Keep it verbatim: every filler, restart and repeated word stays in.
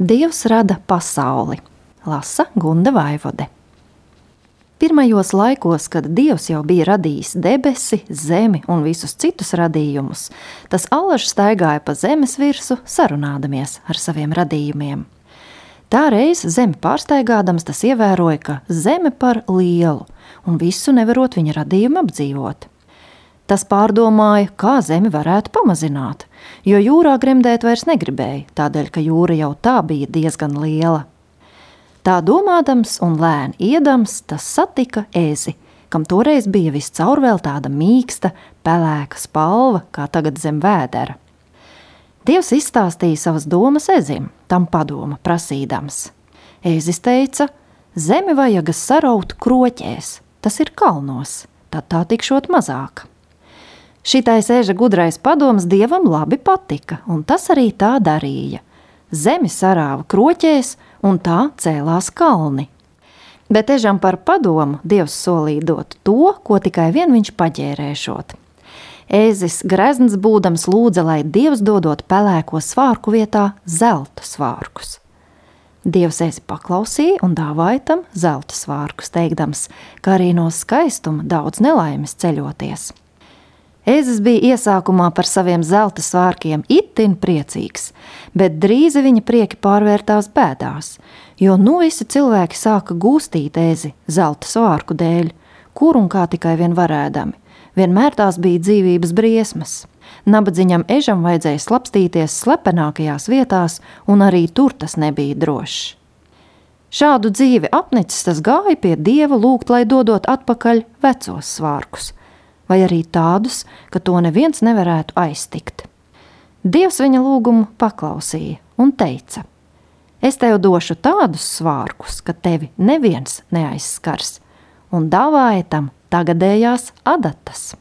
Dievs rada pasauli, lasa Gunda Vaivode. Pirmajos laikos, kad Dievs jau bija radījis debesi, zemi un visus citus radījumus, tas allaž staigāja pa zemes virsu, sarunādamies ar saviem radījumiem. Tā reiz zemi pārstaigādams tas ievēroja, ka zeme par lielu un visu nevarot viņa radījumu apdzīvot. Tas pārdomāja, kā zemi varētu pamazināt, jo jūrā gremdēt vairs negribēja, tādēļ, ka jūra jau tā bija diezgan liela. Tā domādams un lēni iedams, tas satika ezi, kam toreiz bija viscaur vēl tāda mīksta, pelēka spalva, kā tagad zem vēdera. Dievs izstāstīja savas domas ezim, tam padoma prasīdams. Ezis teica, zemi vajagas saraut kroķēs, tas ir kalnos, tad tā tikšot mazāk. Šitais eža gudrais padoms Dievam labi patika, un tas arī tā darīja. Zemi sarāva kroķēs, un tā cēlās kalni. Bet ežam par padomu Dievs solīja dot to, ko tikai vien viņš paģērēšot. Ēzis grezns būdams lūdza, lai Dievs dodot pelēko svārku vietā zelta svārkus. Dievs ēzi paklausīja un dāvāja tam zelta svārkus, teikdams, ka arī no skaistuma daudz nelaimes ceļoties. Ēzis bija iesākumā par saviem zelta svārkiem itin priecīgs, bet drīzi viņa prieki pārvērtās bēdās, jo nu visi cilvēki sāka gūstīt ēzi zelta svārku dēļ, kur un kā tikai vien varēdami. Vienmēr tās bija dzīvības briesmas. Nabadziņam ežam vajadzēja slapstīties slepenākajās vietās, un arī tur tas nebija drošs. Šādu dzīvi apnicis tas gāja pie Dieva lūgt, lai dodot atpakaļ vecos svārkus, vai arī tādus, ka to neviens nevarētu aiztikt. Dievs viņa lūgumu paklausīja un teica, es tev došu tādus svārkus, ka tevi neviens neaizskars, un dāvāja tam tagadējās adatas.